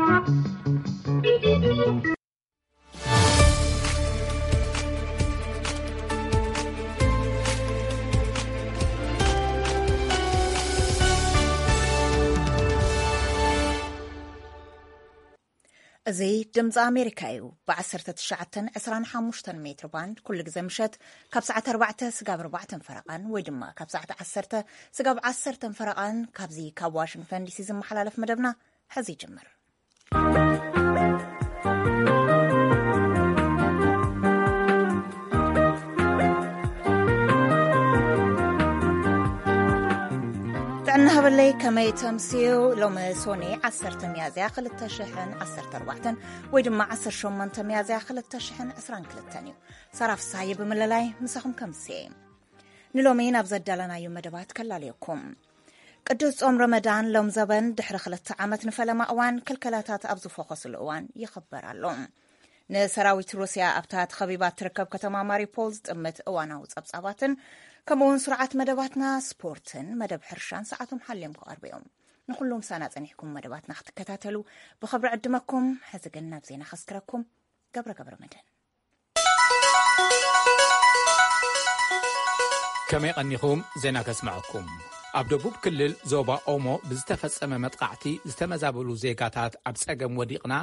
እዚ ድምፂ ኣሜሪካ እዩ። ብ19 25 ሜትር ባንድ ኩሉ ግዜ ምሸት ካብ ሰዓት ኣርባዕተ ስጋብ ኣርባዕተን ፈረቓን ወይ ድማ ካብ ሰዓት ዓሰርተ ስጋብ ዓሰርተን ፈረቓን ካብዚ ካብ ዋሽንግተን ዲሲ ዝመሓላለፍ መደብና ሕዚ ይጅምር። ጥዕና ሃበለይ፣ ከመይ ተምስዩ? ሎሚ ሶኒ ዓሰርተ ሚያዝያ ክልተ ሽሕን ዓሰርተ ኣርባዕተን ወይ ድማ ዓሰርተ ሸሞንተ ሚያዝያ ክልተ ሽሕን ዕስራን ክልተን እዩ። ሳራ ፍስሃየ ብምልላይ ምሳኹም ከምስየ። ንሎሚ ናብ ዘዳለናዩ መደባት ከላልየኩም። ቅዱስ ጾም ረመዳን ሎም ዘበን ድሕሪ ክልተ ዓመት ንፈለማ እዋን ክልከላታት ኣብ ዝፈኾስሉ እዋን ይኽበር ኣሎ። ንሰራዊት ሩስያ ኣብታ ተኸቢባ እትርከብ ከተማ ማሪፖል ዝጥምት እዋናዊ ጸብጻባትን ከምኡውን ስርዓት መደባትና ስፖርትን መደብ ሕርሻን ሰዓቶም ሓልዮም ክቐርቡ እዮም። ንኹሉ ምሳና ጸኒሕኩም መደባትና ክትከታተሉ ብኽብሪ ዕድመኩም። ሕዚ ግን ናብ ዜና ከስክረኩም። ገብረ ገብረ መድህን። ከመይ ቀኒኹም? ዜና ከስምዐኩም። ኣብ ደቡብ ክልል ዞባ ኦሞ ብዝተፈጸመ መጥቃዕቲ ዝተመዛበሉ ዜጋታት ኣብ ጸገም ወዲቕና፣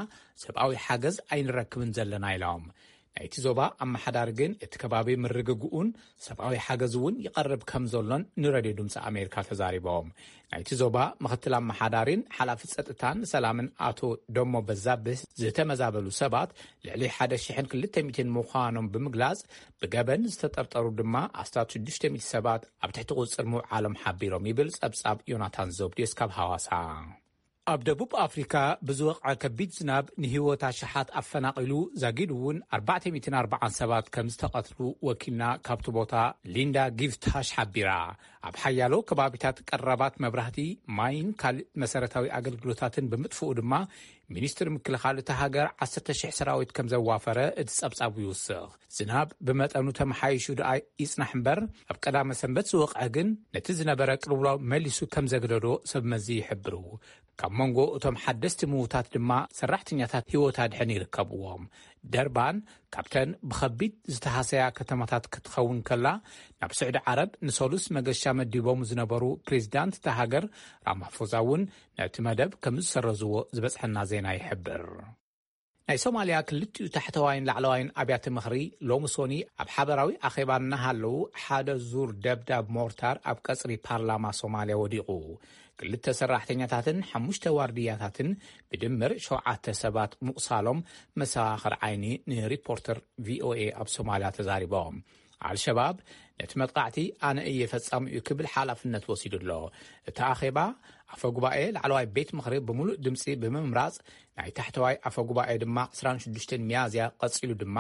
ሰብኣዊ ሓገዝ ኣይንረክብን ዘለና ኢሎም። ናይቲ ዞባ ኣመሓዳሪ ግን እቲ ከባቢ ምርግግኡን ሰብኣዊ ሓገዝ እውን ይቐርብ ከም ዘሎን ንረድዮ ድምፂ ኣሜሪካ ተዛሪቦም። ናይቲ ዞባ ምኽትል ኣመሓዳሪን ሓላፊ ጸጥታን ሰላምን ኣቶ ደሞ በዛብህ ዝተመዛበሉ ሰባት ልዕሊ ሓደ ሽሕን ክልተ ሚእትን ምዃኖም ብምግላጽ፣ ብገበን ዝተጠርጠሩ ድማ ኣስታት ሽዱሽተ ሚእቲ ሰባት ኣብ ትሕቲ ቁጽጽር ምውዓሎም ሓቢሮም ይብል ጸብጻብ ዮናታን ዘብድዮስ ካብ ሃዋሳ። ኣብ ደቡብ ኣፍሪካ ብዝወቕዐ ከቢድ ዝናብ ንህይወት ኣሽሓት ኣፈናቒሉ፣ ዛጊድ እውን ኣርባዕተ ሚእትን ኣርባዓን ሰባት ከም ዝተቐትሉ ወኪልና ካብቲ ቦታ ሊንዳ ጊፍታሽ ሓቢራ። ኣብ ሓያሎ ከባቢታት ቀረባት መብራህቲ፣ ማይን ካልእ መሰረታዊ ኣገልግሎታትን ብምጥፍኡ ድማ፣ ሚኒስትሪ ምክልኻል እታ ሃገር ዓሰርተ ሽሕ ሰራዊት ከም ዘዋፈረ እቲ ጸብጻብ ይውስኽ። ዝናብ ብመጠኑ ተመሓይሹ ደኣ ይጽናሕ እምበር፣ ኣብ ቀዳመ ሰንበት ዝወቕዐ ግን ነቲ ዝነበረ ቅልውላው መሊሱ ከም ዘግደዶ ሰብ መዚ ይሕብሩ። ካብ መንጎ እቶም ሓደስቲ ምዉታት ድማ ሰራሕተኛታት ህይወት ኣድሕን ይርከብዎም። ደርባን ካብተን ብኸቢድ ዝተሃሰያ ከተማታት ክትኸውን ከላ፣ ናብ ስዑዲ ዓረብ ንሰሉስ መገሻ መዲቦም ዝነበሩ ፕሬዚዳንት እታ ሃገር ራማፎዛ እውን ነቲ መደብ ከም ዝሰረዝዎ ዝበጽሐና ዜና ይሕብር። ናይ ሶማልያ ክልቲኡ ታሕተዋይን ላዕለዋይን ኣብያተ ምኽሪ ሎሚ ሶኒ ኣብ ሓበራዊ ኣኼባ እናሃለዉ፣ ሓደ ዙር ደብዳብ ሞርታር ኣብ ቀጽሪ ፓርላማ ሶማልያ ወዲቑ። ክልተ ሰራሕተኛታትን ሓሙሽተ ዋርድያታትን፣ ብድምር ሸውዓተ ሰባት ምቑሳሎም መሰኻኽር ዓይኒ ንሪፖርተር ቪኦኤ ኣብ ሶማልያ ተዛሪቦም። ኣልሸባብ ነቲ መጥቃዕቲ ኣነ እየ ፈጻሚኡ ክብል ሓላፍነት ወሲዱ ኣሎ። እቲ ኣኼባ ኣፈ ጉባኤ ላዕለዋይ ቤት ምኽሪ ብምሉእ ድምጺ ብምምራጽ፣ ናይ ታሕተዋይ ኣፈ ጉባኤ ድማ ዕስራን ሽዱሽተን ሚያዝያ ቀጺሉ ድማ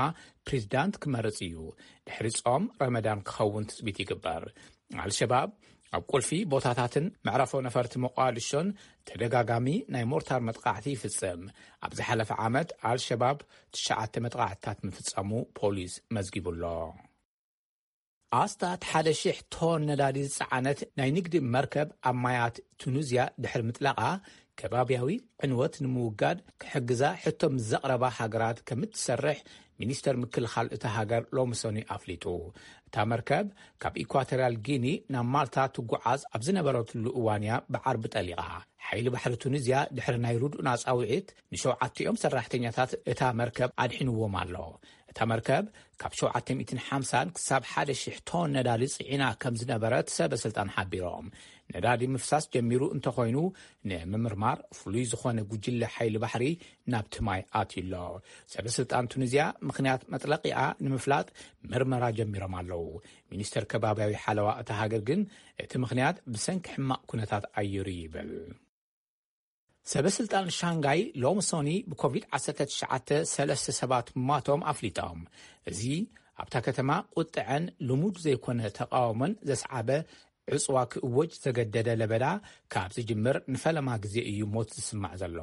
ፕሬዚዳንት ክመርጽ እዩ። ድሕሪ ጾም ረመዳን ክኸውን ትጽቢት ይግበር። ኣልሸባብ ኣብ ቁልፊ ቦታታትን መዕረፎ ነፈርቲ ሞቃዲሾን ተደጋጋሚ ናይ ሞርታር መጥቃዕቲ ይፍጽም። ኣብ ዝሓለፈ ዓመት ኣልሸባብ ትሽዓተ መጥቃዕትታት ምፍጻሙ ፖሊስ መዝጊቡ ኣሎ። ኣስታት ሓደ ሽሕ ቶን ነዳዲ ዝጸዓነት ናይ ንግዲ መርከብ ኣብ ማያት ቱኒዝያ ድሕሪ ምጥላቓ፣ ከባብያዊ ዕንወት ንምውጋድ ክሕግዛ ሕቶ ምስ ዘቕረባ ሃገራት ከም እትሰርሕ ሚኒስተር ምክልኻል እታ ሃገር ሎሚ ሰኑይ ኣፍሊጡ። እታ መርከብ ካብ ኢኳቶርያል ጊኒ ናብ ማልታ ትጓዓዝ ኣብ ዝነበረትሉ እዋን እያ ብዓርቢ ጠሊቓ። ሓይሊ ባሕሪ ቱኒዝያ ድሕሪ ናይ ርዱእ ናጻውዒት ንሸውዓቲኦም ሰራሕተኛታት እታ መርከብ ኣድሒንዎም ኣሎ። እታ መርከብ ካብ ሸውዓተ ሚእትን ሓምሳን ክሳብ ሓደ ሽሕ ቶን ነዳዲ ጽዒና ከም ዝነበረት ሰበ ስልጣን ሓቢሮም። ነዳዲ ምፍሳስ ጀሚሩ እንተኾይኑ፣ ንምምርማር ፍሉይ ዝኾነ ጉጅለ ሓይሊ ባሕሪ ናብቲ ማይ ኣትዩ ኣሎ። ሰበ ስልጣን ቱኒዝያ ምኽንያት መጥለቒኣ ንምፍላጥ ምርመራ ጀሚሮም ኣለዉ። ሚኒስተር ከባብያዊ ሓለዋ እታ ሃገር ግን እቲ ምኽንያት ብሰንኪ ሕማቕ ኩነታት ኣየር እዩ ይብል። ሰበ ስልጣን ሻንጋይ ሎሚ ሶኒ ብኮቪድ ዓሰርተ ትሽዓተ ሰለስተ ሰባት ምማቶም ኣፍሊጦም። እዚ ኣብታ ከተማ ቁጥዐን ልሙድ ዘይኮነ ተቃውሞን ዘስዓበ ዕጽዋ ክእወጅ ዘገደደ ለበዳ ካብ ዝጅምር ንፈለማ ግዜ እዩ ሞት ዝስማዕ ዘሎ።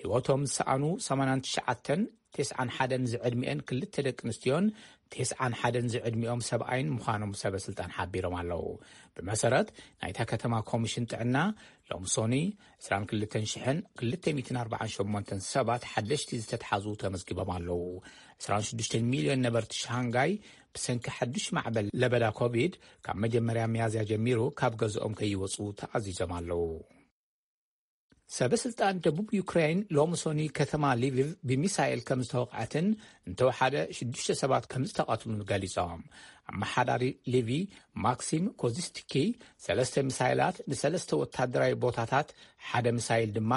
ህይወቶም ዝሰኣኑ ሰማንያን ትሽዓተን ተስዓን ሓደን ዝዕድሚኤን ክልተ ደቂ ኣንስትዮን ተስዓን ሓደን ዝዕድሚኦም ሰብኣይን ምዃኖም ሰበ ስልጣን ሓቢሮም ኣለዉ። ብመሰረት ናይታ ከተማ ኮሚሽን ጥዕና፣ ሎም ሶኒ ዕስራን ክልተን ሽሕን ክልተ ሚእትን ኣርባዓን ሸሞንተን ሰባት ሓደሽቲ ዝተትሓዙ ተመዝጊቦም ኣለዉ። ዕስራን ሽዱሽተን ሚልዮን ነበርቲ ሻንጋይ ብሰንኪ ሓዱሽ ማዕበል ለበዳ ኮቪድ ካብ መጀመርያ ሚያዝያ ጀሚሩ ካብ ገዝኦም ከይወጹ ተኣዚዞም ኣለዉ። ሰበ ስልጣን ደቡብ ዩክሬን ሎም ሶኒ ከተማ ሊቪቭ ብሚሳኤል ከም ዝተወቕዐትን እንተወሓደ ሽዱሽተ ሰባት ከም ዝተቐትሉን ገሊጾም። ኣመሓዳሪ ሊቪ ማክሲም ኮዚስቲኪ ሰለስተ ሚሳይላት ንሰለስተ ወታደራዊ ቦታታት፣ ሓደ ሚሳይል ድማ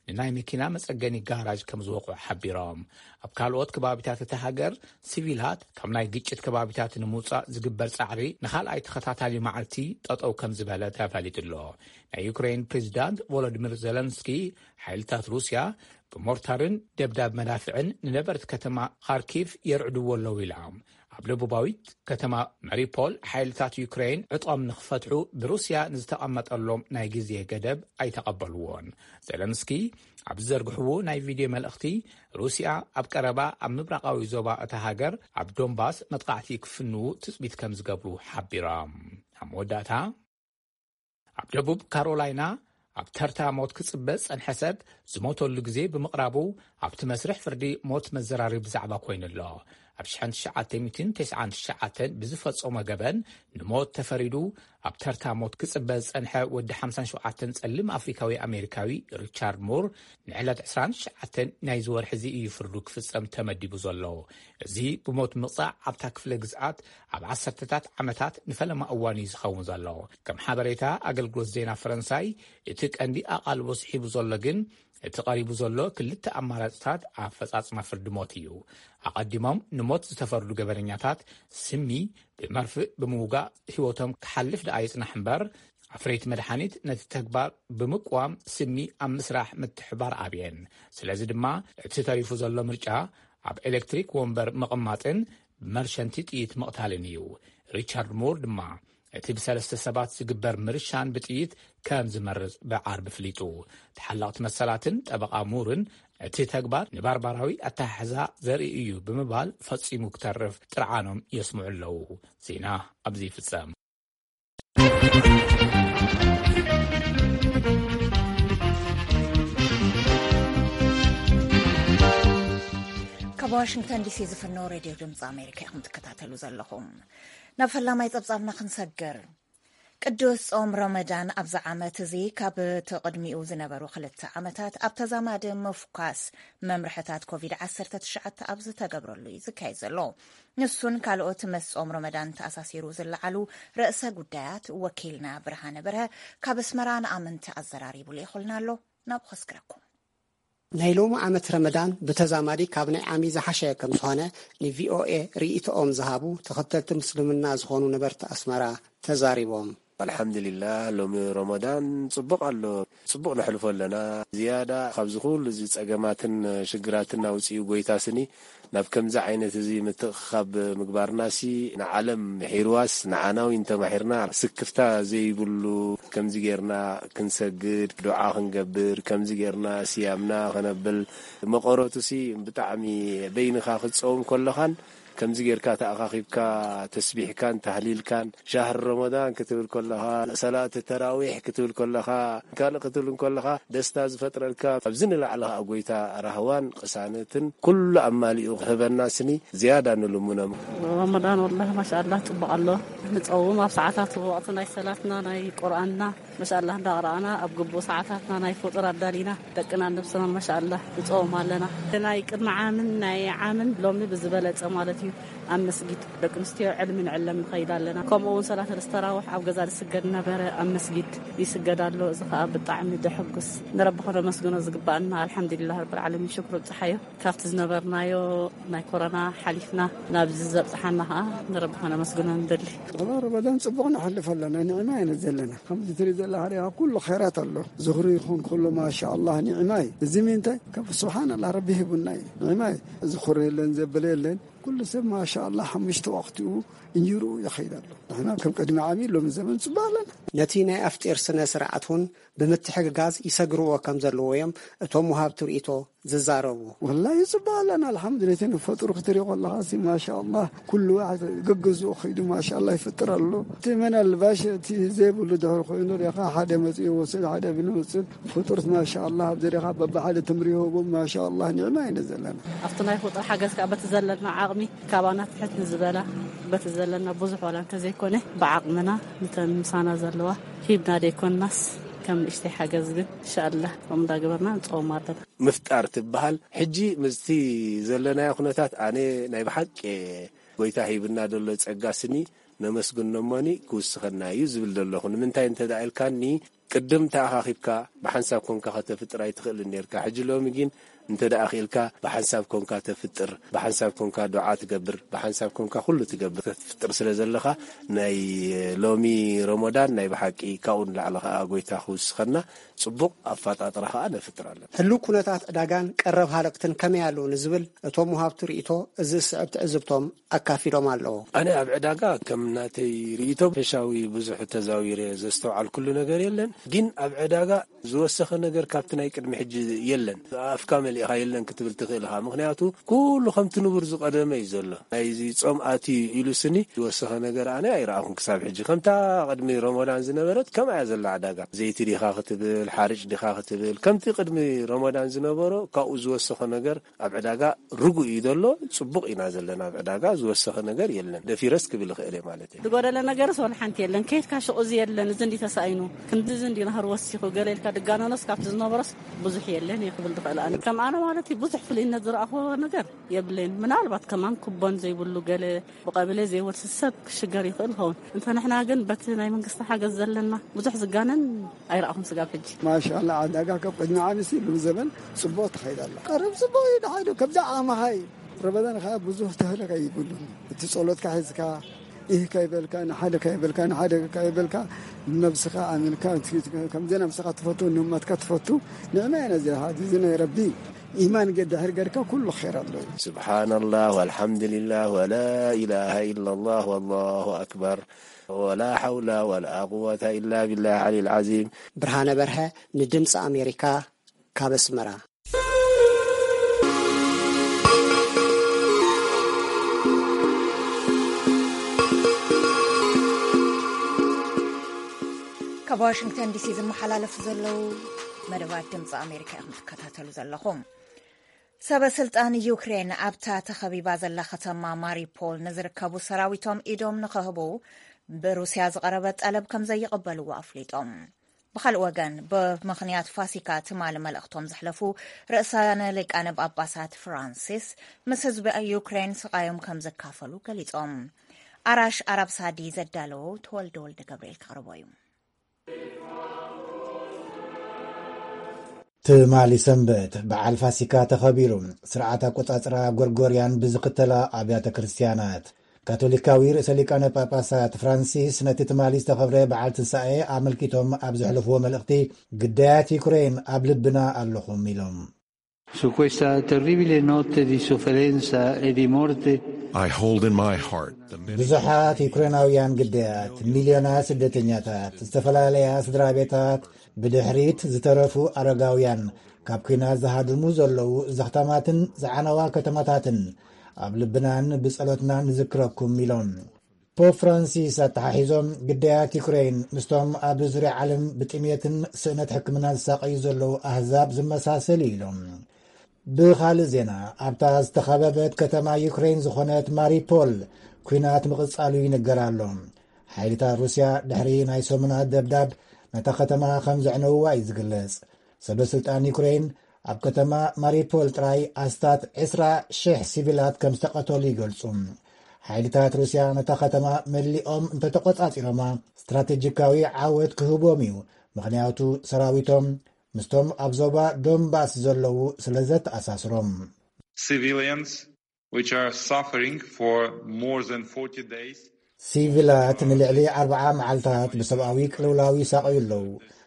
ንናይ መኪና መጸገኒ ጋራጅ ከም ዝወቕዑ ሓቢሮም። ኣብ ካልኦት ከባቢታት እታ ሃገር ሲቪላት ካብ ናይ ግጭት ከባቢታት ንምውጻእ ዝግበር ጻዕሪ ንኻልኣይ ተኸታታሊ መዓልቲ ጠጠው ከም ዝበለ ተፈሊጡ ኣሎ። ናይ ዩክሬን ፕሬዚዳንት ቮሎዲሚር ዘለንስኪ ሓይልታት ሩስያ ብሞርታርን ደብዳብ መዳፍዕን ንነበርቲ ከተማ ካርኪቭ የርዕድዎ ኣለዉ ኢላ። ኣብ ደቡባዊት ከተማ ማሪፖል ሓይልታት ዩክሬን ዕጥቖም ንኽፈትሑ ብሩስያ ንዝተቐመጠሎም ናይ ግዜ ገደብ ኣይተቐበልዎን። ዘለንስኪ ኣብ ዝዘርግሕዎ ናይ ቪድዮ መልእኽቲ፣ ሩስያ ኣብ ቀረባ ኣብ ምብራቓዊ ዞባ እታ ሃገር ኣብ ዶንባስ መጥቃዕቲ ክፍንዉ ትጽቢት ከም ዝገብሩ ሓቢሮም። ኣብ መወዳእታ፣ ኣብ ደቡብ ካሮላይና ኣብ ተርታ ሞት ክጽበ ዝጸንሐ ሰብ ዝሞተሉ ግዜ ብምቕራቡ፣ ኣብቲ መስርሕ ፍርዲ ሞት መዘራረቢ ዛዕባ ኮይኑ ኣሎ። ኣብ ሽሕን ትሽዓተ ሚእትን ተስዓን ትሽዓተን ብዝፈጸሞ ገበን ንሞት ተፈሪዱ ኣብ ተርታ ሞት ክጽበ ዝጸንሐ ወዲ ሓምሳን ሸውዓተን ጸሊም ኣፍሪካዊ ኣሜሪካዊ ሪቻርድ ሙር ንዕለት ዕስራን ትሽዓተን ናይዚ ወርሒ እዚ እዩ ፍርዱ ክፍጸም ተመዲቡ ዘሎ። እዚ ብሞት ምቕጻዕ ኣብታ ክፍለ ግዝኣት ኣብ ዓሰርተታት ዓመታት ንፈለማ እዋን እዩ ዝኸውን ዘሎ። ከም ሓበሬታ ኣገልግሎት ዜና ፈረንሳይ፣ እቲ ቀንዲ ኣቓልቦ ስሒቡ ዘሎ ግን እቲ ቀሪቡ ዘሎ ክልተ ኣማራጽታት ኣፈጻጽማ ፍርዲ ሞት እዩ። ኣቐዲሞም ንሞት ዝተፈርዱ ገበነኛታት ስሚ ብመርፍእ ብምውጋእ ህይወቶም ክሓልፍ ደኣ ይጽናሕ እምበር፣ ኣፍረይቲ መድሓኒት ነቲ ተግባር ብምቅዋም ስሚ ኣብ ምስራሕ ምትሕባር ኣብየን። ስለዚ ድማ እቲ ተሪፉ ዘሎ ምርጫ ኣብ ኤሌክትሪክ ወንበር ምቕማጥን ብመርሸንቲ ጥይት ምቕታልን እዩ። ሪቻርድ ሙር ድማ እቲ ብሰለስተ ሰባት ዝግበር ምርሻን ብጥይት ከም ዝመርጽ ብዓርቢ ፍሊጡ። ተሓለቕቲ መሰላትን ጠበቓ ሙርን እቲ ተግባር ንባርባራዊ ኣተሓሕዛ ዘርኢ እዩ ብምባል ፈጺሙ ክተርፍ ጥርዓኖም የስምዑ ኣለዉ። ዜና ኣብዚ ይፍጸም። ካብ ዋሽንግተን ዲሲ ዝፍነው ሬድዮ ድምፂ ኣሜሪካ ኢኹም ትከታተሉ ዘለኹም። ናብ ፈላማይ ጸብጻብና ክንሰግር። ቅዱስ ጾም ረመዳን ኣብዚ ዓመት እዚ ካብ እቲ ቅድሚኡ ዝነበሩ ክልተ ዓመታት ኣብ ተዛማዲ ምፍኳስ መምርሕታት ኮቪድ ዓሰርተ ትሽዓተ ኣብ ዝተገብረሉ እዩ ዝካየድ ዘሎ። ንሱን ካልኦት ምስ ጾም ረመዳን ተኣሳሲሩ ዝለዓሉ ርእሰ ጉዳያት ወኪልና ብርሃነ በርሀ ካብ ኣስመራ ንኣመንቲ ኣዘራሪቡ ልኢኹልና ኣሎ። ናብኡ ከስግረኩም። ናይ ሎሚ ዓመት ረመዳን ብተዛማዲ ካብ ናይ ዓሚ ዝሓሸ ከም ዝኾነ ንቪኦኤ ርእይቶኦም ዝሃቡ ተኸተልቲ ምስልምና ዝኾኑ ነበርቲ ኣስመራ ተዛሪቦም። ኣልሓምዱሊላህ፣ ሎሚ ረመዳን ጽቡቕ ኣሎ። ጽቡቕ ነሕልፎ ኣለና። ዝያዳ ካብዚ ኩሉ እዚ ጸገማትን ሽግራትን ኣውጺኡ ጎይታ ስኒ ናብ ከምዚ ዓይነት እዚ ምትእኽኻብ ምግባርናሲ ንዓለም ምሒርዋስ ንዓና እውን ተማሒርና ስክፍታ ዘይብሉ ከምዚ ጌርና ክንሰግድ፣ ዱዓ ክንገብር፣ ከምዚ ጌርና ስያምና ከነብል፣ መቐረቱሲ ብጣዕሚ በይንኻ ክትጸውም ከለኻን ከምዚ ጌርካ ተኣኻኺብካ ተስቢሕካን ታህሊልካን ሻህር ረመዳን ክትብል ከለኻ፣ ሰላት ተራዊሕ ክትብል ከለኻ፣ ካልእ ክትብል ከለኻ ደስታ ዝፈጥረልካ፣ ኣብዚ ንላዕሊ ኸኣ ጎይታ ራህዋን ቅሳነትን ኩሉ ኣማሊኡ ክህበና ስኒ ዝያዳ ንልምኖም። ረመዳን ወላሂ ማሻኣላህ ጽቡቕ ኣሎ። ንጸውም ኣብ ሰዓታት ወቕቲ ናይ ሰላትና ናይ ቁርኣንና ማሻኣላህ እንዳቕረኣና ኣብ ግቡእ ሰዓታትና ናይ ፍጡር ኣዳሊና ደቅናን ነብስናን ማሻኣላህ ንጸውም ኣለና። ናይ ቅድሚ ዓምን ናይ ዓምን ሎሚ ብዝበለጸ ማለት እዩ። ኣብ መስጊድ ደቂ ኣንስትዮ ዕልሚ ንዕለም ንኸይድ ኣለና። ከምኡ እውን ሰላት ተራዊሕ ኣብ ገዛ ዝስገድ ነበረ፣ ኣብ መስጊድ ይስገድ ኣሎ። እዚ ኸኣ ብጣዕሚ ደሐጉስ፣ ንረቢ ኸነመስግኖ ዝግባኣና። ኣልሓምዱሊላህ ረብል ዓለሚን፣ ሽክሩ ብጽሓዮ። ካብቲ ዝነበርናዮ ናይ ኮሮና ሓሊፍና ናብዚ ዘብጽሓና ኸኣ ንረቢ ኸነመስግኖ ንደሊ። ወላ ረመዳን ጽቡቕ ነሕልፍ ኣለና፣ ኒዕማ ኢና ዘለና። ከምዚ ትርኢ ዘለኻ ዲኻ፣ ኩሉ ኸይራት ኣሎ። ዝኽሪ ይኹን ኩሉ፣ ማሻኣላህ፣ ኒዕማ እዩ። እዚ ምንታይ? ካብ ስብሓንላህ፣ ረቢ ሂቡና እዩ። ኒዕማ እዩ። ዝኹሪ የለን፣ ዘበለ የለን። ኩሉ ሰብ ማሻኣላህ ሓሙሽተ ወቕቲኡ እንጀርኡ ይኸይድ ኣሎ። ንሕና ከም ቅድሚ ዓሚ ሎሚ ዘመን ጽቡቕ ኣለና። ነቲ ናይ ኣፍጢር ስነ ስርዓት እውን ብምትሕግጋዝ ይሰግርዎ ከም ዘለዎ እዮም እቶም ወሃብቲ ርእይቶ ዝዛረቡ። ወላሂ ይፅበ ኣለና። ኣልሓምዱሊላህ፣ እቲ ንፈጥሩ ክትሪኦ ከለኻ ሲ ማሻ ኣላህ፣ ኩሉ ዋሕድ ገገዝኡ ኸይዱ ማሻ ኣላህ ይፍጥር ኣሎ። እቲ መናልባሽ እቲ ዘይብሉ ድሕር ኮይኑ ሪኻ ሓደ መፅኡ ይወስድ፣ ሓደ ብንወስድ ፍጡርት ማሻ ኣላህ ኣብዚ ሪኻ በብሓደ ትምሪ ይህቦም ማሻ ኣላህ ኒዕማ ኢና ዘለና። ኣብቲ ናይ ፍጡር ሓገዝ ከዓ በቲ ዘለና ዓቕሚ ካባና ትሕት ንዝበላ በቲ ዘለና ብዙሕ ዋላ እንተዘይኮነ ብዓቕምና ንተን ምሳና ዘለዋ ሂብና ደይኮንናስ ከም ንእሽተይ ሓገዝ ግን እንሻኣላህ ከምኡ እንዳገበርና ንፀውም ኣለና። ምፍጣር ትበሃል። ሕጂ ምስቲ ዘለናዮ ኩነታት ኣነ ናይ ብሓቂ ጎይታ ሂብና ዘሎ ጸጋ ስኒ ነመስግኖ እሞኒ ክውስኸና እዩ ዝብል ዘለኹ። ንምንታይ እንተ ደኣ ኢልካኒ፣ ቅድም ተኣኻኺብካ ብሓንሳብ ኮንካ ከተፍጥር ኣይትኽእልን ኔርካ። ሕጂ ሎሚ ግን እንተ ደኣ ኽኢልካ ብሓንሳብ ኮንካ ተፍጥር፣ ብሓንሳብ ኮንካ ዱዓ ትገብር፣ ብሓንሳብ ኮንካ ኩሉ ትገብር፣ ተፍጥር ስለ ዘለኻ ናይ ሎሚ ረመዳን ናይ ብሓቂ ካብኡ ንላዕሊ ኸኣ ጎይታ ክውስኸና ጽቡቕ ኣፈጣጥራ ኸኣ ነፍጥር ኣለና። ህሉው ኩነታት ዕዳጋን ቀረብ ሃለቕትን ከመይ ኣለዉ ንዝብል እቶም ወሃብቲ ርእይቶ እዚ ዝስዕብ ትዕዝብቶም ኣካፊሎም ኣለዉ። ኣነ ኣብ ዕዳጋ ከም ናተይ ርእይቶ ፈሻዊ ብዙሕ ተዛዊረ ዘስተውዓልኩሉ ነገር የለን። ግን ኣብ ዕዳጋ ዝወሰኸ ነገር ካብቲ ናይ ቅድሚ ሕጂ የለን። ኣፍካ መሊእኻ የለን ክትብል ትኽእል ኢኻ። ምኽንያቱ ኩሉ ከምቲ ንቡር ዝቐደመ እዩ ዘሎ። ናይዚ ጾም ኣትዩ ኢሉ ስኒ ዝወሰኸ ነገር ኣነ ኣይረኣኹን ክሳብ ሕጂ። ከምታ ቅድሚ ረመዳን ዝነበረት ከምኣ እያ ዘላ ዕዳጋ። ዘይቲ ዲኻ ክትብል፣ ሓርጭ ዲኻ ክትብል፣ ከምቲ ቅድሚ ረመዳን ዝነበሮ ካብኡ ዝወሰኸ ነገር ኣብ ዕዳጋ ርጉእ እዩ ዘሎ። ጽቡቕ ኢና ዘለና ኣብ ዕዳጋ፣ ዝወሰኸ ነገር የለን። ደፊረስ ክብል ይኽእል እየ ማለት እዩ። ዝጎደለ ነገርስ ወላ ሓንቲ የለን። ከይድካ ሽቕ እዚ የለን፣ እዚ እንዲ ተሳኢኑ፣ ክንዲ እዚ እንዲ ናህር ወሲኹ፣ ገለ ኢልካ ድጋነኖስ ካብቲ ዝነበሮስ ብዙሕ የለን እየ ክብል ዝኽእል ኣነ። ከም ኣነ ማለት እዩ፣ ብዙሕ ፍልይነት ዝረኣኽዎ ነገር የብለይን። ምናልባት ከማን ኩቦን ዘይብሉ ገለ ብቐበሌ ዘይወርስ ሰብ ክሽገር ይኽእል ይኸውን። እንተ ንሕና ግን በቲ ናይ መንግስቲ ሓገዝ ዘለና ብዙሕ ዝጋነን ኣይረኣኹን ስጋብ ሕጂ። ማሻላ፣ ዕዳጋ ካብ ቅድሚ ዓመት ኢሉ ዘበን ጽቡቕ ትኸይድ ኣላ። ቀረብ ጽቡቕ እዩ፣ ደሓን እዩ። ከምዛ ዓማኻ እዩ። ረመዳን ኸዓ ብዙሕ ተህለካ ይብሉን። እቲ ጸሎትካ ሒዝካ፣ ኢህ ካይበልካ፣ ንሓደ ካይበልካ፣ ንሓደ ካይበልካ፣ ነብስኻ ኣሚንካ፣ ከምዚ ነብስኻ ትፈቱ፣ ንእመትካ ትፈቱ፣ ንዕማ ኢና እዚ፣ እዚ ናይ ረቢ ኢማን ገ-፣ ድሕር ገርካ ኩሉ ኸይር ኣሎ እዩ። ስብሓንላህ ወልሓምዱሊላህ ወላ ኢላሃ ኢላላህ ወላሁ ኣክበር ወላ ሓውላ ወላ ቁወታ ኢላ ቢላህ ዓሊል ዓዚም። ብርሃነ በርሀ ንድምፂ ኣሜሪካ ካብ ኣስመራ። ካብ ዋሽንግተን ዲሲ ዝመሓላለፉ ዘለዉ መደባት ድምፂ ኣሜሪካ ኢኹም ትከታተሉ ዘለኹም። ሰበ ስልጣን ዩክሬን ኣብታ ተኸቢባ ዘላ ከተማ ማሪፖል ንዝርከቡ ሰራዊቶም ኢዶም ንኸህቡ ብሩስያ ዝቐረበ ጠለብ ከም ዘይቕበልዎ ኣፍሊጦም። ብኻልእ ወገን፣ ብምኽንያት ፋሲካ ትማሊ መልእኽቶም ዘሕለፉ ርእሳነ ሊቃነ ጳጳሳት ፍራንሲስ፣ ምስ ህዝቢ ዩክሬን ስቓዮም ከም ዘካፈሉ ገሊጾም። ኣራሽ ኣራብ ሳዲ ዘዳለዎ ተወልደ ወልደ ገብርኤል ከቕርቦ እዩ። ትማሊ ሰንበት በዓል ፋሲካ ተኸቢሩ። ስርዓት ኣቆጻጽራ ጎርጎርያን ብዝኽተላ ኣብያተ ክርስትያናት፣ ካቶሊካዊ ርእሰ ሊቃነ ጳጳሳት ፍራንሲስ ነቲ ትማሊ ዝተኸብረ በዓል ትንሳኤ ኣመልኪቶም ኣብ ዘሕለፍዎ መልእኽቲ፣ ግዳያት ዩክሬን ኣብ ልብና ኣለኹም ኢሎም። Su questa terribile notte di sofferenza e di morte, I hold in my heart the many ብዙሓት ዩክሬናውያን ግዳያት፣ ሚልዮናት ስደተኛታት፣ ዝተፈላለያ ስድራ ቤታት፣ ብድሕሪት ዝተረፉ ኣረጋውያን፣ ካብ ኲናት ዝሃድሙ ዘለዉ ዘኽታማትን ዝዓነዋ ከተማታትን ኣብ ልብናን ብጸሎትናን ንዝክረኩም ኢሎም። ፖፕ ፍራንሲስ ኣተሓሒዞም፣ ግዳያት ዩክሬን ምስቶም ኣብ ዙርያ ዓለም ብጥሜትን ስእነት ሕክምና ዝሳቐዩ ዘለዉ ኣህዛብ ዝመሳሰል እዩ ኢሎም። ብኻልእ ዜና፣ ኣብታ ዝተኸበበት ከተማ ዩክሬን ዝኾነት ማሪፖል ኲናት ምቕጻሉ ይንገር ኣሎ። ሓይልታት ሩስያ ድሕሪ ናይ ሰሙናት ደብዳብ ነታ ከተማ ከም ዘዕነውዋ እዩ ዝግለጽ። ሰበ ስልጣን ዩክሬን ኣብ ከተማ ማሪፖል ጥራይ ኣስታት ዕስራ ሽሕ ሲቪላት ከም ዝተቐተሉ ይገልጹ። ሓይልታት ሩስያ ነታ ከተማ መሊኦም እንተተቖጻጺሮማ ስትራቴጂካዊ ዓወት ክህቦም እዩ፣ ምኽንያቱ ሰራዊቶም ምስቶም ኣብ ዞባ ዶንባስ ዘለዉ ስለ ዘተኣሳስሮም። Civilians, which are suffering for more than forty days. ሲቪላት ንልዕሊ ኣርብዓ መዓልታት ብሰብኣዊ ቅልውላው ይሳቐዩ ኣለዉ።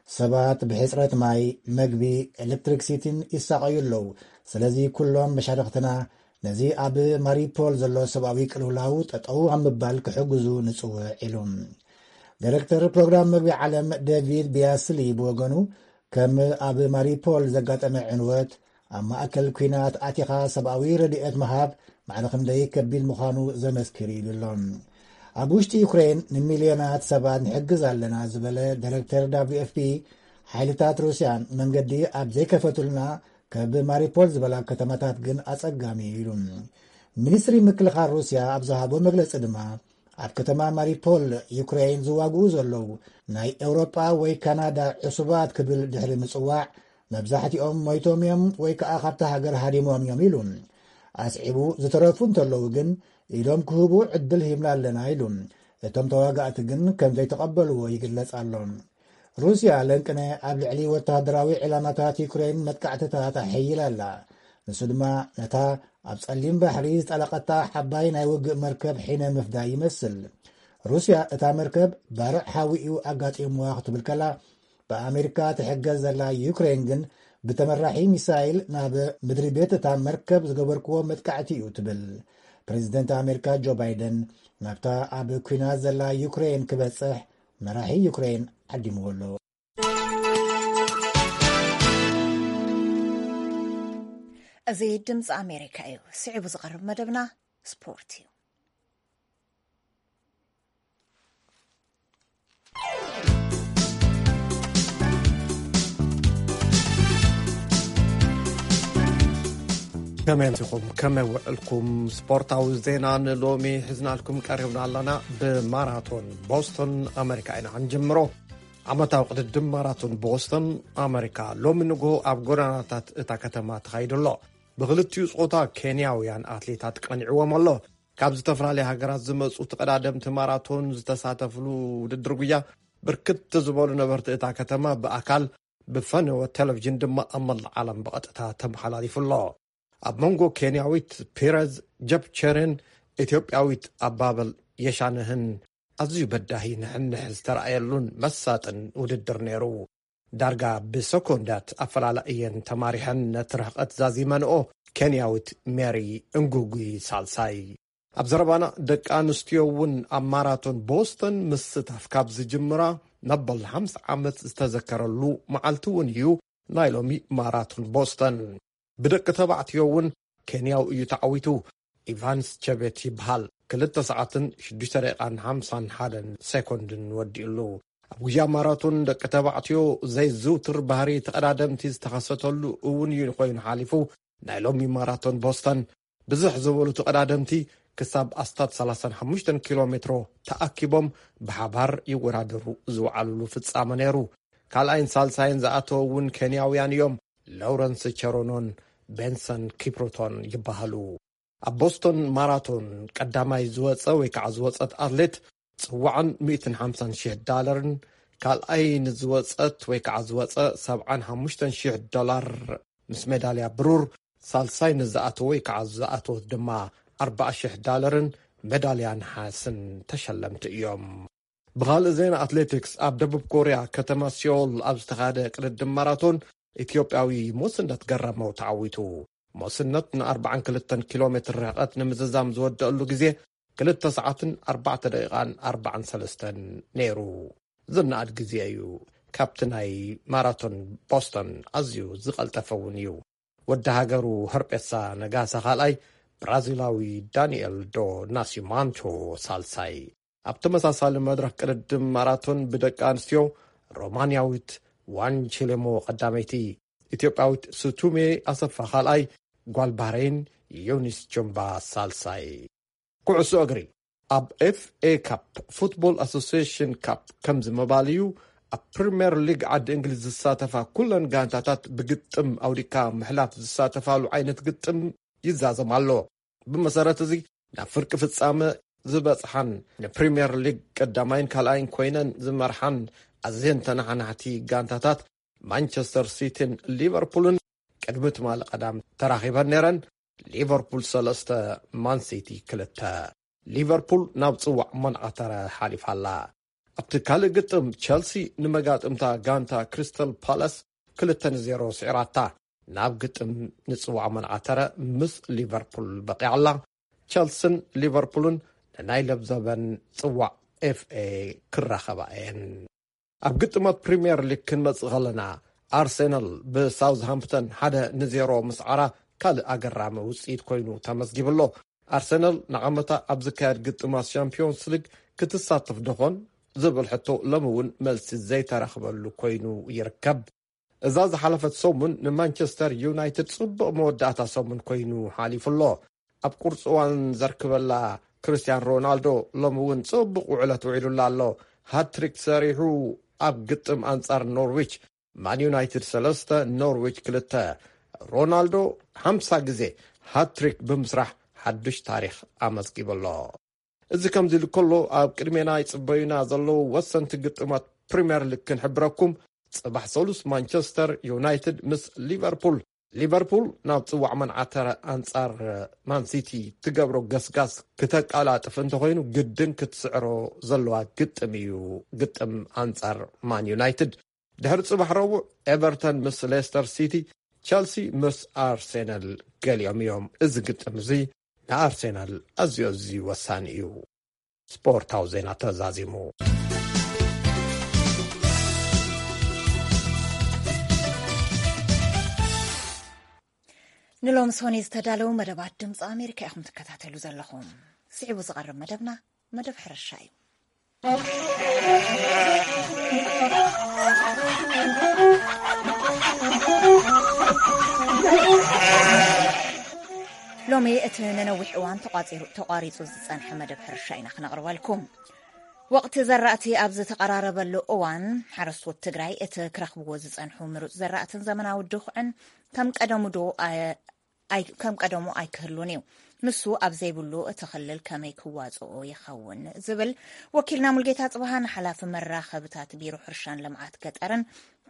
ሰባት ብሕጽረት ማይ፣ መግቢ፣ ኤሌክትሪክሲቲን ይሳቐዩ ኣለዉ። ስለዚ ኩሎም መሻርኽትና ነዚ ኣብ ማሪፖል ዘሎ ሰብኣዊ ቅልውላው ጠጠው ኣብ ምባል ክሕግዙ ንጽውዕ ኢሉ። ዳይሬክተር ፕሮግራም መግቢ ዓለም ዴቪድ ቢያስሊ ብወገኑ፣ ከም ኣብ ማሪፖል ዘጋጠመ ዕንወት ኣብ ማእከል ኲናት ኣቲኻ ሰብኣዊ ረድኤት ምሃብ ማዕረ ክንደይ ከቢድ ምዃኑ ዘመስክር እዩ ኢሉ ኣሎ። ኣብ ውሽጢ ዩክሬን ንሚልዮናት ሰባት ንሕግዝ ኣለና ዝበለ ዳይሬክተር ደብሊው ኤፍ ፒ፣ ሓይልታት ሩስያን መንገዲ ኣብ ዘይከፈቱልና ካብ ማሪፖል ዝበላ ከተማታት ግን ኣጸጋሚ እዩ ኢሉ። ሚኒስትሪ ምክልኻል ሩስያ ኣብ ዝሃቦ መግለጺ ድማ፣ ኣብ ከተማ ማሪፖል ዩክሬን ዝዋግኡ ዘለዉ ናይ ኤውሮጳ ወይ ካናዳ ዕሱባት ክብል ድሕሪ ምጽዋዕ፣ መብዛሕትኦም ሞይቶም እዮም ወይ ከኣ ካብታ ሃገር ሃዲሞም እዮም ኢሉ። ኣስዒቡ፣ ዝተረፉ እንተለዉ ግን ኢዶም ክህቡ ዕድል ሂብና ኣለና ኢሉ። እቶም ተዋጋእቲ ግን ከም ዘይተቐበልዎ ይግለጽ ኣሎ። ሩስያ ለንቅነ ኣብ ልዕሊ ወተሃደራዊ ዕላማታት ዩክሬን መጥቃዕትታት ኣሐይላ ኣላ። ንሱ ድማ ነታ ኣብ ጸሊም ባሕሪ ዝጠለቐታ ሓባይ ናይ ውግእ መርከብ ሒነ ምፍዳይ ይመስል። ሩስያ እታ መርከብ ባርዕ ሓዊ እዩ ኣጋጢምዋ ክትብል ከላ፣ ብኣሜሪካ ትሕገዝ ዘላ ዩክሬን ግን ብተመራሒ ሚሳይል ናብ ምድሪ ቤት እታ መርከብ ዝገበርክዎ መጥቃዕቲ እዩ ትብል። ፕሬዚደንት ኣሜሪካ ጆ ባይደን ናብታ ኣብ ኲናት ዘላ ዩክሬን ክበጽሕ መራሒ ዩክሬን ዓዲምዎ ኣሎ። እዚ ድምፂ ኣሜሪካ እዩ። ስዒቡ ዝቐርብ መደብና ስፖርት እዩ። ከመይ ኣምሲኹም? ከመይ ውዕልኩም? ስፖርታዊ ዜና ንሎሚ ሒዝናልኩም ቀሪብና ኣለና። ብማራቶን ቦስቶን ኣመሪካ ኢና ክንጅምሮ። ዓመታዊ ቅድድም ማራቶን ቦስቶን ኣመሪካ ሎሚ ንግሆ ኣብ ጎደናታት እታ ከተማ ተኻይዱ ኣሎ። ብክልቲኡ ጾታ ኬንያውያን ኣትሌታት ቀኒዕዎም ኣሎ። ካብ ዝተፈላለያ ሃገራት ዝመጹ ተቐዳደምቲ ማራቶን ዝተሳተፍሉ ውድድር ጉያ፣ ብርክት ዝበሉ ነበርቲ እታ ከተማ ብኣካል፣ ብፈነወ ቴሌቪዥን ድማ ኣብ መላእ ዓለም ብቐጥታ ተመሓላሊፉ ኣሎ። ኣብ መንጎ ኬንያዊት ፒረዝ ጀፕቸርን ኢትዮጵያዊት ኣባበል የሻነህን ኣዝዩ በዳሂ ንሕንሕ ዝተረኣየሉን መሳጥን ውድድር ነይሩ። ዳርጋ ብሰኮንዳት ኣፈላላ እየን ተማሪሐን ነቲ ርሕቐት ዛዚመንኦ። ኬንያዊት ሜሪ እንጉጉ ሳልሳይ። ኣብ ዘረባና፣ ደቂ ኣንስትዮ እውን ኣብ ማራቶን ቦስተን ምስታፍ ካብ ዝጅምራ መበል ሓምሳ ዓመት ዝተዘከረሉ መዓልቲ እውን እዩ ናይ ሎሚ ማራቶን ቦስተን። ብደቂ ተባዕትዮ እውን ኬንያዊ እዩ ተዓዊቱ። ኢቫንስ ቸቤት ይበሃል። ክልተ ሰዓትን ሽዱሽተ ደቂቓን ሓምሳን ሓደን ሴኮንድን ወዲኡሉ። ኣብ ጉያ ማራቶን ደቂ ተባዕትዮ ዘይዝውትር ባህሪ ተቐዳደምቲ ዝተኸሰተሉ እውን እዩ ኮይኑ ሓሊፉ። ናይ ሎሚ ማራቶን ቦስተን፣ ብዝሕ ዝበሉ ተቐዳደምቲ ክሳብ ኣስታት ሰላሳን ሓሙሽተን ኪሎ ሜትሮ ተኣኪቦም ብሓባር ይወዳደሩ ዝወዓሉሉ ፍጻመ ነይሩ። ካልኣይን ሳልሳይን ዝኣተወ እውን ኬንያውያን እዮም፣ ሎረንስ ቸሮኖን ቤንሰን ኪፕሩቶን ይበሃሉ። ኣብ ቦስቶን ማራቶን ቀዳማይ ዝወጸ ወይ ከዓ ዝወጸት ኣትሌት ጽዋዕን ሚእትን ሓምሳን ሺሕ ዳለርን፣ ካልኣይ ንዝወጸት ወይ ከዓ ዝወጸ ሰብዓን ሓሙሽተን ሺሕ ዶላር ምስ ሜዳልያ ብሩር፣ ሳልሳይ ንዝኣተወ ወይ ከዓ ዝኣተወት ድማ ኣርባዓ ሺሕ ዳለርን ሜዳልያ ነሓስን ተሸለምቲ እዮም። ብኻልእ ዜና ኣትሌቲክስ፣ ኣብ ደቡብ ኮርያ ከተማ ሲኦል ኣብ ዝተኻደ ቅድድም ማራቶን፣ ኢትዮጵያዊ ሞስነት ገረመው ተዓዊቱ። ሞስነት ንኣርባዓን ክልተን ኪሎ ሜትር ርሕቐት ንምዝዛም ዝወደአሉ ግዜ ክልተ ሰዓትን ኣርባዕተ ደቂቓን ኣርባዓን ሰለስተን ነይሩ። ዝነኣድ ግዜ እዩ። ካብቲ ናይ ማራቶን ቦስተን ኣዝዩ ዝቐልጠፈ እውን እዩ። ወዲ ሃገሩ ሀርጴሳ ነጋሳ ካልኣይ፣ ብራዚላዊ ዳንኤል ዶ ናሲማንቶ ሳልሳይ። ኣብ ተመሳሳሊ መድረኽ ቅድድም ማራቶን ብደቂ ኣንስትዮ፣ ሮማንያዊት ዋንቺሌሞ ቀዳመይቲ፣ ኢትዮጵያዊት ሱቱሜ ኣሰፋ ካልኣይ፣ ጓል ባህረይን ዮኒስ ጆምባ ሳልሳይ። ኩዕሶ እግሪ። ኣብ ኤፍ ኤ ካፕ፣ ፉትቦል ኣሶሲዬሽን ካፕ ከምዚ ምባል እዩ። ኣብ ፕሪምየር ሊግ ዓዲ እንግሊዝ ዝሳተፋ ኩለን ጋንታታት ብግጥም ኣውዲካ ምሕላፍ ዝሳተፋሉ ዓይነት ግጥም ይዛዘም ኣሎ። ብመሰረት እዚ፣ ናብ ፍርቂ ፍጻመ ዝበጽሓን ንፕሪምየር ሊግ ቀዳማይን ካልኣይን ኮይነን ዝመርሓን ኣዝየን ተነሓናሕቲ ጋንታታት ማንቸስተር ሲቲን ሊቨርፑልን ቅድሚ ትማሊ ቀዳም ተራኺበን ነይረን። ሊቨርፑል ሰለስተ፣ ማን ሲቲ ክልተ። ሊቨርፑል ናብ ጽዋዕ መንዓተረ ሓሊፋ ኣላ። ኣብቲ ካልእ ግጥም፣ ቸልሲ ንመጋጥምታ ጋንታ ክሪስታል ፓላስ ክልተ ንዜሮ ስዒራታ። ናብ ግጥም ንጽዋዕ መንዓተረ ምስ ሊቨርፑል በቂዓ ኣላ። ቸልስን ሊቨርፑልን ንናይ ለብዘበን ጽዋዕ ኤፍ ኤ ክራኸባ እየን። ኣብ ግጥማት ፕሪምየር ሊግ ክንመጽእ ከለና፣ ኣርሴናል ብሳውዝሃምፕተን ሓደ ንዜሮ ምስዓራ ካልእ ኣገራሚ ውፅኢት ኮይኑ ተመዝጊቡ ኣሎ። ኣርሰናል ንዓመታ ኣብ ዝካየድ ግጥማት ሻምፒዮንስ ሊግ ክትሳተፍ ደኾን ዝብል ሕቶ ሎሚ እውን መልሲ ዘይተረኽበሉ ኮይኑ ይርከብ። እዛ ዝሓለፈት ሰሙን ንማንቸስተር ዩናይትድ ጽቡቕ መወዳእታ ሰሙን ኮይኑ ሓሊፉ ኣሎ። ኣብ ቁርፂ እዋን ዘርክበላ ክርስቲያን ሮናልዶ ሎሚ እውን ጽቡቕ ውዕለት ውዒሉላ ኣሎ። ሃትሪክ ሰሪሑ ኣብ ግጥም ኣንጻር ኖርዊች ማን ዩናይትድ ሰለስተ ኖርዊች ክልተ። ሮናልዶ ሓምሳ ግዜ ሃትሪክ ብምስራሕ ሓዱሽ ታሪኽ ኣመዝጊቡ ኣሎ። እዚ ከምዚ ኢሉ ከሎ ኣብ ቅድሜና ይጽበዩና ዘለዉ ወሰንቲ ግጥማት ፕሪምየር ሊግ ክንሕብረኩም። ጽባሕ ሰሉስ ማንቸስተር ዩናይትድ ምስ ሊቨርፑል። ሊቨርፑል ናብ ጽዋዕ መንዓተረ ኣንጻር ማንሲቲ ትገብሮ ገስጋስ ክተቃላጥፍ እንተኾይኑ ግድን ክትስዕሮ ዘለዋ ግጥም እዩ። ግጥም ኣንጻር ማን ዩናይትድ። ድሕሪ ጽባሕ ረቡዕ ኤቨርተን ምስ ሌስተር ሲቲ፣ ቸልሲ ምስ ኣርሴናል ገሊኦም እዮም። እዚ ግጥም እዚ ንኣርሴናል ኣዝዩ ኣዝዩ ወሳኒ እዩ። ስፖርታዊ ዜና ተዛዚሙ። ንሎሚ ሶኒ ዝተዳለዉ መደባት ድምፂ ኣሜሪካ ኢኹም ትከታተሉ ዘለኹም። ስዒቡ ዝቐርብ መደብና መደብ ሕርሻ እዩ። ሎሚ እቲ ንነዊሕ እዋን ተቋፂሩ- ተቋሪፁ ዝፀንሐ መደብ ሕርሻ ኢና ክነቕርበልኩም። ወቕቲ ዘራእቲ ኣብ ዝተቐራረበሉ እዋን ሓረስቶት ትግራይ እቲ ክረኽብዎ ዝፀንሑ ምሩፅ ዘራእትን ዘመናዊ ድኹዕን ከም ቀደሙ ዶ ኣይ- ከም ቀደሙ ኣይክህሉን እዩ። ንሱ ኣብ ዘይብሉ እቲ ክልል ከመይ ክዋፅኦ ይኸውን ዝብል ወኪልና ሙልጌታ ጽብሃ ንሓላፊ መራኸብታት ቢሮ ሕርሻን ልምዓት ገጠርን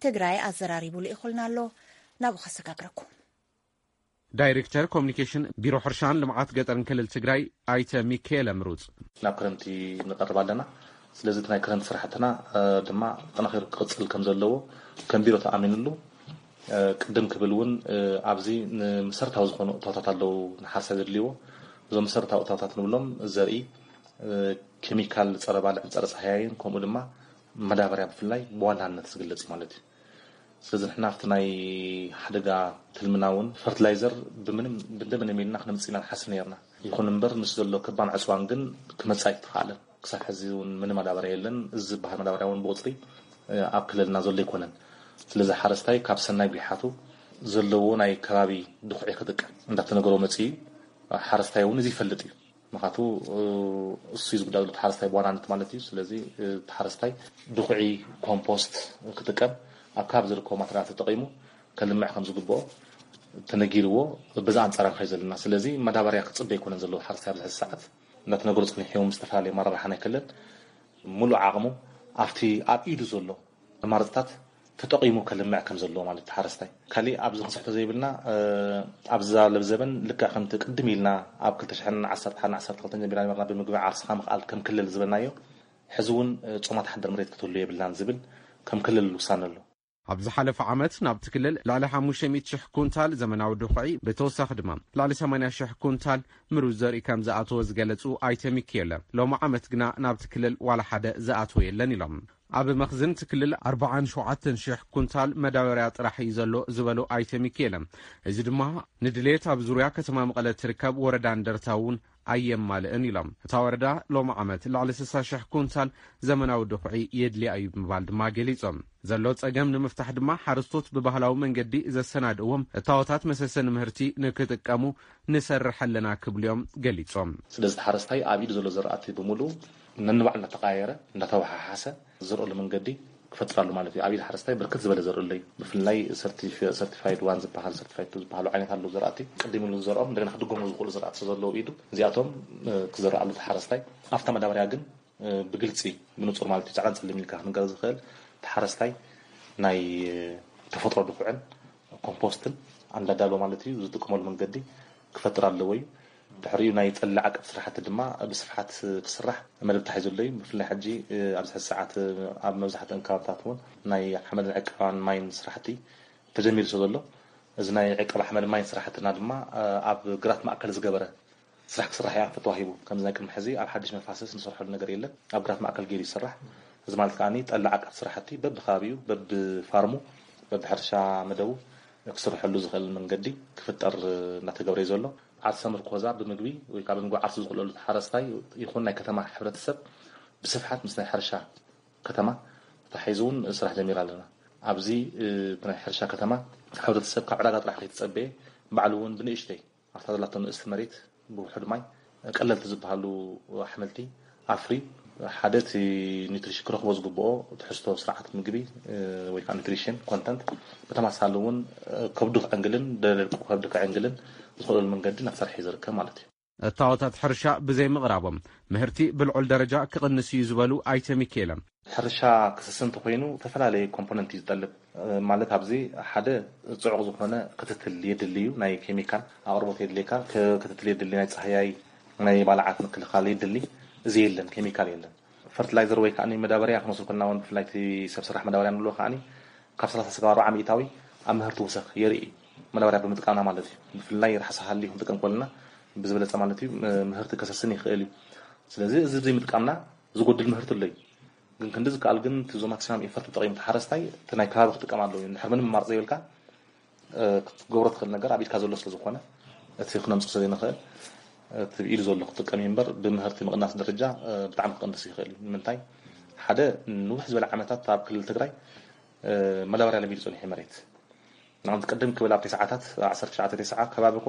ትግራይ ኣዘራሪቡ ልኢኹልና ኣሎ። ናብኡ ከሰጋግረኩም። ዳይሬክተር ኮሚኒኬሽን ቢሮ ሕርሻን ልምዓት ገጠርን ክልል ትግራይ ኣይተ ሚካኤል ምሩፅ። ናብ ክረምቲ ንቐርብ ኣለና። ስለዚ እቲ ናይ ክረምቲ ስራሕትና ድማ ጠናኺሩ ክቕፅል ከም ዘለዎ ከም ቢሮ ተኣሚንሉ። ቅድም ክብል እውን ኣብዚ ንመሰረታዊ ዝኾኑ እታወታት ኣለዉ ንሓረስታይ ዘድልይዎ። እዞም መሰረታዊ እታወታት ንብሎም ዘርኢ፣ ኬሚካል ፀረ ባልዕን ፀረ ፀሃያይን ከምኡ ድማ መዳበርያ ብፍላይ ብዋናነት ዝግለፅ እዩ ማለት እዩ። ስለዚ ንሕና ኣብቲ ናይ ሓደጋ ትልምና እውን ፈርትላይዘር ብምንም ብንደምንም ኢልና ክነምፅእ ኢና ንሓስብ ነርና። ይኹን እምበር ምስ ዘሎ ክባን ዕፅዋን ግን ክመፅእ ኣይተኻእለን። ክሳብ ሕዚ እውን ምንም ማዳበርያ የለን። እዚ ዝበሃል ማዳበርያ እውን ብቁፅሪ ኣብ ክልልና ዘሎ ኣይኮነን። ስለዚ ሓረስታይ ካብ ሰናይ ጒሓቱ ዘለዎ ናይ ከባቢ ድኹዒ ክጥቀም እንዳተነገሮ መፅኡ እዩ። ሓረስታይ እውን እዚ ይፈልጥ እዩ። ምክንያቱ እሱ እዩ ዝጉዳእ ዘሎ ሓረስታይ ብዋናነት ማለት እዩ። ስለዚ እቲ ሓረስታይ ድኹዒ ኮምፖስት ክጥቀም ኣብ ከባቢ ዝርከቡ ማተሪያላት ተጠቂሙ ከልምዕ ከም ዝግብኦ ተነጊርዎ በዛ ኣንፃር ንኸይድ ዘለና። ስለዚ ማዳበርያ ክፅበ ኣይኮነን ዘለዎ ሓረስታይ ኣብዚ ሕዚ ሰዓት እንዳተነገሩ ፀኒሑ እዮም። ዝተፈላለዩ ኣመራርሓ ናይ ክልል ሙሉእ ዓቕሙ ኣብቲ ኣብ ኢዱ ዘሎ ኣማርፅታት ተጠቒሙ ከልምዕ ከም ዘለዎ ማለት ሓረስታይ ካሊእ ኣብዚ ክንስሕቶ ዘይብልና ኣብዚ ዛለብ ዘበን ልክዕ ከምቲ ቅድም ኢልና ኣብ ክልተ ሽሕን ዓሰርተ ሓደን ዓሰርተ ክልተን ጀሚርና ነበርና ብምግቢ ዓርስኻ ምኽኣል ከም ክልል ዝበልናዮ ሕዚ እውን ጾማት ሓደር መሬት ክትህሉ የብልናን ዝብል ከም ክልል ውሳነ ኣሎ። ኣብ ዝሓለፈ ዓመት ናብቲ ክልል ልዕሊ ሓሙሽተ ሚእቲ ሽሕ ኩንታል ዘመናዊ ድኹዒ ብተወሳኺ ድማ ልዕሊ ሰማንያ ሽሕ ኩንታል ምሩዝ ዘርኢ ከም ዝኣተወ ዝገለጹ ኣይተ ሚኪኤለ ሎሚ ዓመት ግና ናብቲ ክልል ዋላ ሓደ ዝኣተወ የለን ኢሎም። ኣብ መኽዝን እቲ ክልል ኣርባዓን ሸውዓተን ሽሕ ኩንታል መዳበርያ ጥራሕ እዩ ዘሎ ዝበሉ ኣይተ ሚኪኤለ፣ እዚ ድማ ንድሌት ኣብ ዙርያ ከተማ መቐለ ትርከብ ወረዳ እንደርታ እውን ኣየማልእን ኢሎም። እታ ወረዳ ሎሚ ዓመት ልዕሊ ስሳ ሽሕ ኩንታል ዘመናዊ ድኹዒ የድልያ እዩ ብምባል ድማ ገሊጾም። ዘሎ ጸገም ንምፍታሕ ድማ ሓረስቶት ብባህላዊ መንገዲ ዘሰናድእዎም እታወታት መሰሰኒ ምህርቲ ንክጥቀሙ ንሰርሕ ኣለና ክብሉ እዮም ገሊጾም። ስለዚ እቲ ሓረስታይ ኣብ ኢዱ ዘሎ ዘራእቲ ብምሉኡ ነንባዕሉ እናተቀያየረ እንዳተወሓሓሰ ዝዘርኦሉ መንገዲ ክፈጥር ኣሎ ማለት እዩ። ኣብ ኢድ ሓረስታይ ብርክት ዝበለ ዘርኢ ኣሎ እዩ። ብፍላይ ሰርቲፊ- ሰርቲፋይድ ዋን ዝበሃል ሰርቲፋይድ ቱ ዝበሃሉ ዓይነት ኣለዉ ዘራእቲ ቅድም ኢሉ ዝዘርኦም እንደገና ክድገሙ ዝኽእሉ ዘራእቲ ዘለዉ ኢዱ እዚኣቶም ክዘርእ ኣሎ እቲ ሓረስታይ። ኣብታ መዳበርያ ግን ብግልፂ ብንፁር ማለት እዩ ፃዕዳን ፀሊም ኢልካ ክንገር ዝኽእል እቲ ሓረስታይ ናይ ተፈጥሮ ድኩዕን ኮምፖስትን ኣንዳዳሎ ማለት እዩ ዝጥቀመሉ መንገዲ ክፈጥር ኣለዎ እዩ። ድሕሪኡ ናይ ጠሊ ዓቀብ ስራሕቲ ድማ ብስፍሓት ክስራሕ መደብ ተታሒዙ ኣሎ እዩ። ብፍላይ ሕጂ ኣብዚ ሕዚ ሰዓት ኣብ መብዛሕትአን ከባብታት እውን ናይ ሓመድን ዕቀባን ማይን ስራሕቲ ተጀሚሩ ስለ ዘሎ እዚ ናይ ዕቀባ ሓመድ ማይን ስራሕትና ድማ ኣብ ግራት ማእከል ዝገበረ ስራሕ ክስራሕ እያ ተተዋሂቡ። ከምዚ ናይ ቅድሚ ሕዚ ኣብ ሓድሽ መፋሰስ ንሰርሐሉ ነገር የለን። ኣብ ግራት ማእከል ገይሩ ይስራሕ። እዚ ማለት ከኣ ጠሊ ዓቀብ ስራሕቲ በብከባቢኡ በብፋርሙ በብሕርሻ መደቡ ክስርሐሉ ዝኽእል መንገዲ ክፍጠር እናተገብረ እዩ ዘሎ። ዓርሰ ምርኮዛ ብምግቢ ወይ ከዓ ብምግቢ ዓርሱ ዝኽእለሉ ሓረስታይ ይኹን ናይ ከተማ ሕብረተሰብ ብስፍሓት ምስ ናይ ሕርሻ ከተማ ተታሒዙ እውን ስራሕ ጀሚራ ኣለና። ኣብዚ እቲ ናይ ሕርሻ ከተማ ሕብረተሰብ ካብ ዕዳጋ ጥራሕ ከይተፀበየ ባዕሉ እውን ብንእሽተይ ኣብታ ዘላቶ ንእስቲ መሬት ብውሑድ ማይ ቀለልቲ ዝበሃሉ ኣሕምልቲ ኣፍሪ ሓደ እቲ ኒትሪሽን ክረኽቦ ዝግብኦ ትሕዝቶ ስርዓት ምግቢ ወይ ከዓ ኒትሪሽን ኮንተንት ብተመሳሳሊ እውን ከብዱ ክዕንግልን ደለልቁ ከብዲ ክዕንግልን ዝኽእለሉ መንገዲ እናተሰርሐ እዩ ዝርከብ ማለት እዩ። እታወታት ሕርሻ ብዘይ ምቕራቦም ምህርቲ ብልዑል ደረጃ ክቕንስ እዩ ዝበሉ ኣይተ ሚካኤለ፣ ሕርሻ ክስስን ተኮይኑ ዝተፈላለየ ኮምፖነንት እዩ ዝጠልብ። ማለት ኣብዚ ሓደ ፅዑቕ ዝኾነ ክትትል የድሊ እዩ። ናይ ኬሚካል ኣቕርቦት የድልየካ፣ ክትትል የድሊ፣ ናይ ፀሃያይ ናይ ባልዓት ምክልኻል የድሊ። እዚ የለን፣ ኬሚካል የለን። ፈርትላይዘር ወይ ከዓ መዳበርያ ክንወስድ ከለና እውን ብፍላይ እቲ ሰብ ስራሕ መዳበርያ ንብሎ ከዓ ካብ ሰላሳ ስጋብ ኣርባዓ ሚእታዊ ኣብ ምህርቲ ውሰኽ የርኢ እዩ። መዳበርያ ብምጥቃምና ማለት እዩ። ብፍላይ ርሓስ ሃሊ ክንጥቀም ከለና ብዝበለፀ ማለት እዩ ምህርቲ ከሰስን ይኽእል እዩ። ስለዚ እዚ ዘይምጥቃምና ዝጎድል ምህርቲ ኣሎ እዩ። ግን ክንዲ ዝከኣል ግን እቲ ዞ ማክሲማም ኢፈርት ተጠቒሙ ተሓረስታይ እቲ ናይ ከባቢ ክጥቀም ኣለዎ እዩ። እንድሕር ምንም ኣማርፂ ዘይብልካ ክትገብሮ ትኽእል ነገር ኣብ ኢድካ ዘሎ ስለ ዝኾነ እቲ ክነምፅእ ስለ ዘይንኽእል እቲ ኢሉ ዘሎ ክጥቀም እዩ እምበር ብምህርቲ ምቕናስ ደረጃ ብጣዕሚ ክቐንስ ይኽእል እዩ። ንምንታይ ሓደ ንውሕ ዝበለ ዓመታት ኣብ ክልል ትግራይ መዳበርያ ለሚዱ ፀኒሑ መሬት ንኣብነት ቅድም ክብል ኣብ ተስዓታት ዓሰርተ ትሽዓተ ተስዓ ከባቢ ኮ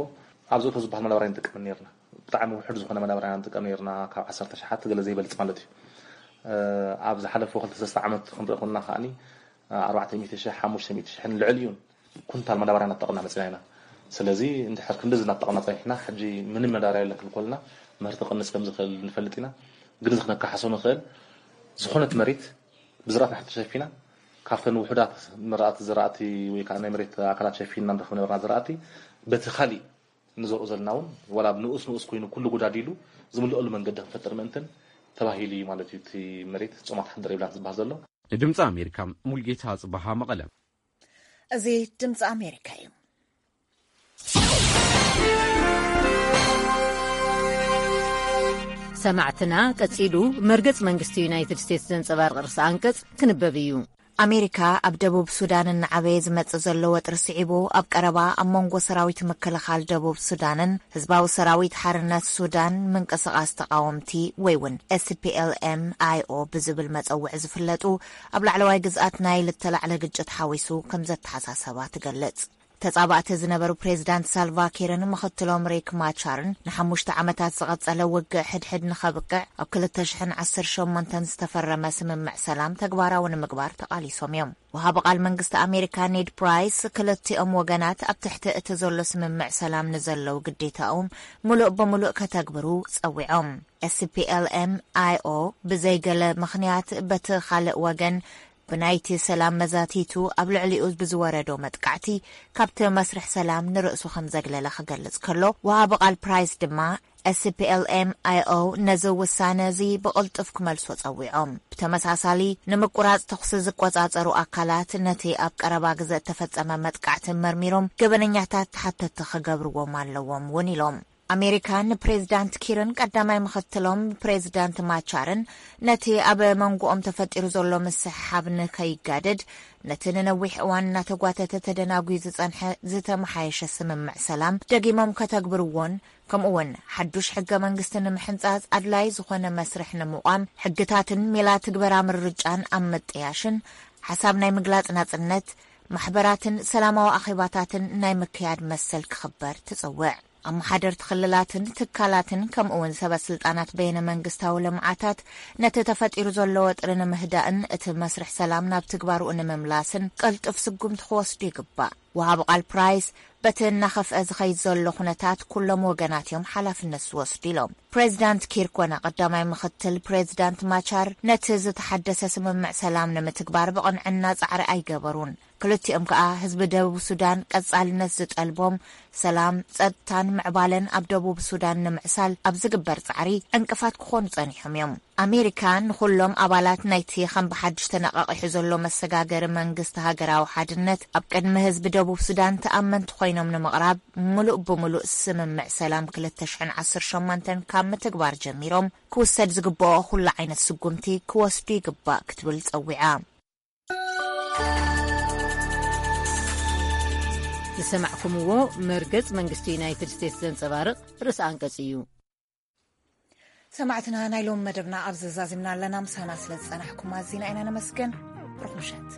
ኣብ ዘእቶ ዝበሃል መዳበርያ ንጥቀም ነርና። ብጣዕሚ ውሑድ ዝኾነ መዳበርያ ንጥቀም ነርና ካብ ዓሰርተ ኣሽሓት ገለ ዘይበልፅ ማለት እዩ። ኣብ ዝሓለፈ ክልተ ሰለስተ ዓመት ክንርኢ ኮንና ከዓኒ ኣርባዕተ ሚእቲ ሺሕ ሓሙሽተ ሚእቲ ሺሕን ልዕሊኡን ኩንታል መዳበርያ እናተጠቐምና መፂና ኢና። ስለዚ እንድሕር ክንድዚ እናተጠቐምና ፀኒሕና ሕጂ ምንም መዳበርያ የለን ክንብል ከለና ምህርቲ ክቕንስ ከም ዝኽእል ንፈልጥ ኢና። ግን እዚ ክነካሕሶ ንኽእል ዝኾነት መሬት ብዝራእቲ እንድሕር ተሸፊና ካብተን ውሑዳት መራእቲ ዝራእቲ ወይ ከዓ ናይ መሬት ኣካላት ሸፊንና ንረኽቦ ነበርና ዝራእቲ በቲ ካሊእ ንዘርኦ ዘለና እውን ዋላ ንኡስ ንኡስ ኮይኑ ኩሉ ጉዳዲሉ ዝምልአሉ መንገዲ ክንፈጥር ምእንትን ተባሂሉ እዩ ማለት እዩ። እቲ መሬት ጾማት ሓደር ይብላን ዝበሃል ዘሎ። ንድምፂ ኣሜሪካ ሙልጌታ ጽባሃ መቐለ። እዚ ድምፂ ኣሜሪካ እዩ። ሰማዕትና ቀጺሉ መርገጽ መንግስቲ ዩናይትድ ስቴትስ ዘንጸባርቕ ርእሲ ኣንቀጽ ክንበብ እዩ። ኣሜሪካ ኣብ ደቡብ ሱዳን እናዓበየ ዝመጽእ ዘሎ ወጥሪ ስዒቡ ኣብ ቀረባ ኣብ መንጎ ሰራዊት ምክልኻል ደቡብ ሱዳንን ህዝባዊ ሰራዊት ሓርነት ሱዳን ምንቅስቓስ ተቓወምቲ ወይ እውን SPLM-IO ብዝብል መጸውዒ ዝፍለጡ ኣብ ላዕለዋይ ግዝኣት ናይል እተላዕለ ግጭት ሓዊሱ ከም ዘተሓሳሰባ ትገልጽ። ተጻባእቲ ዝነበሩ ፕሬዚዳንት ሳልቫ ኪርን ምኽትሎም ሪክ ማቻርን ንሓሙሽተ ዓመታት ዝቐጸለ ውግእ ሕድሕድ ንኸብቅዕ ኣብ ክልተ ሽሕን ዓሰርተ ሸሞንተን ዝተፈረመ ስምምዕ ሰላም ተግባራዊ ንምግባር ተቓሊሶም እዮም። ወሃቢ ቃል መንግስቲ ኣሜሪካ ኔድ ፕራይስ ክልቲኦም ወገናት ኣብ ትሕቲ እቲ ዘሎ ስምምዕ ሰላም ንዘለዉ ግዴታኦም ምሉእ ብምሉእ ከተግብሩ ጸዊዖም። SPLM-IO ብዘይገለ ምኽንያት በቲ ካልእ ወገን ብናይቲ ሰላም መዛቲቱ ኣብ ልዕሊኡ ብዝወረዶ መጥቃዕቲ ካብቲ መስርሕ ሰላም ንርእሱ ከም ዘግለለ ክገልጽ ከሎ፣ ወሃቢ ቃል ፕራይስ ድማ SPLM-IO ነዚ ውሳነ እዚ ብቕልጡፍ ክመልሶ ጸዊዖም። ብተመሳሳሊ ንምቁራጽ ተኹሲ ዝቆጻጸሩ ኣካላት ነቲ ኣብ ቀረባ ግዘ እተፈጸመ መጥቃዕቲ መርሚሮም ገበነኛታት ተሓተቲ ክገብርዎም ኣለዎም እውን ኢሎም። ኣሜሪካ ንፕሬዚዳንት ኪርን ቀዳማይ ምኽትሎም ፕሬዚዳንት ማቻርን ነቲ ኣብ መንጎኦም ተፈጢሩ ዘሎ ምስሕሓብ ንከይጋደድ ነቲ ንነዊሕ እዋን እናተጓተተ ተደናጉዩ ዝጸንሐ ዝተመሓየሸ ስምምዕ ሰላም ደጊሞም ከተግብርዎን ከምኡውን ሓዱሽ ሕገ መንግስቲ ንምሕንጻጽ ኣድላይ ዝኾነ መስርሕ ንምቋም ሕግታትን ሜላ ትግበራ ምርጫን ኣብ ምጥያሽን ሓሳብ ናይ ምግላጽ ናጽነት ማሕበራትን ሰላማዊ ኣኼባታትን ናይ ምክያድ መሰል ክኽበር ትጽውዕ። ኣመሓደርቲ ክልላትን ትካላትን ከምኡውን ሰበ ስልጣናት በይነ መንግስታዊ ልምዓታት ነቲ ተፈጢሩ ዘሎ ወጥሪ ንምህዳእን እቲ መስርሕ ሰላም ናብ ትግባርኡ ንምምላስን ቅልጡፍ ስጉምቲ ክወስዱ ይግባእ። ወሃቢ ቃል ፕራይስ በቲ እናኸፍአ ዝኸይድ ዘሎ ኩነታት ኩሎም ወገናት እዮም ሓላፍነት ዝወስዱ ኢሎም። ፕሬዚዳንት ኪር ኮነ ቀዳማይ ምኽትል ፕሬዚዳንት ማቻር ነቲ ዝተሓደሰ ስምምዕ ሰላም ንምትግባር ብቕንዕና ጻዕሪ ኣይገበሩን። ክልቲኦም ከኣ ህዝቢ ደቡብ ሱዳን ቀጻልነት ዝጠልቦም ሰላም፣ ጸጥታን ምዕባለን ኣብ ደቡብ ሱዳን ንምዕሳል ኣብ ዝግበር ጻዕሪ ዕንቅፋት ክኾኑ ጸኒሖም እዮም። ኣሜሪካ ንኹሎም ኣባላት ናይቲ ከም ብሓድሽ ተነቓቒሑ ዘሎ መሰጋገሪ መንግስቲ ሃገራዊ ሓድነት ኣብ ቅድሚ ህዝቢ ደቡብ ሱዳን ተኣመንቲ ኮይኖም ንምቕራብ ምሉእ ብምሉእ ስምምዕ ሰላም ክልተ ሽሕን ዓሰርተ ሸሞንተን ካብ ምትግባር ጀሚሮም ክውሰድ ዝግብኦ ኩሉ ዓይነት ስጉምቲ ክወስዱ ይግባእ ክትብል ጸዊዓ። ዝሰማዕኩምዎ መርገጽ መንግስቲ ዩናይትድ ስቴትስ ዘንጸባርቕ ርእሰ ኣንቀጽ እዩ። ሰማዕትና፣ ናይ ሎም መደብና ኣብ ዘዛዚምና ኣለና። ምሳና ስለ ዝጸናሕኩም ኣዚና ኢና ነመስግን። ርኹም ምሸት።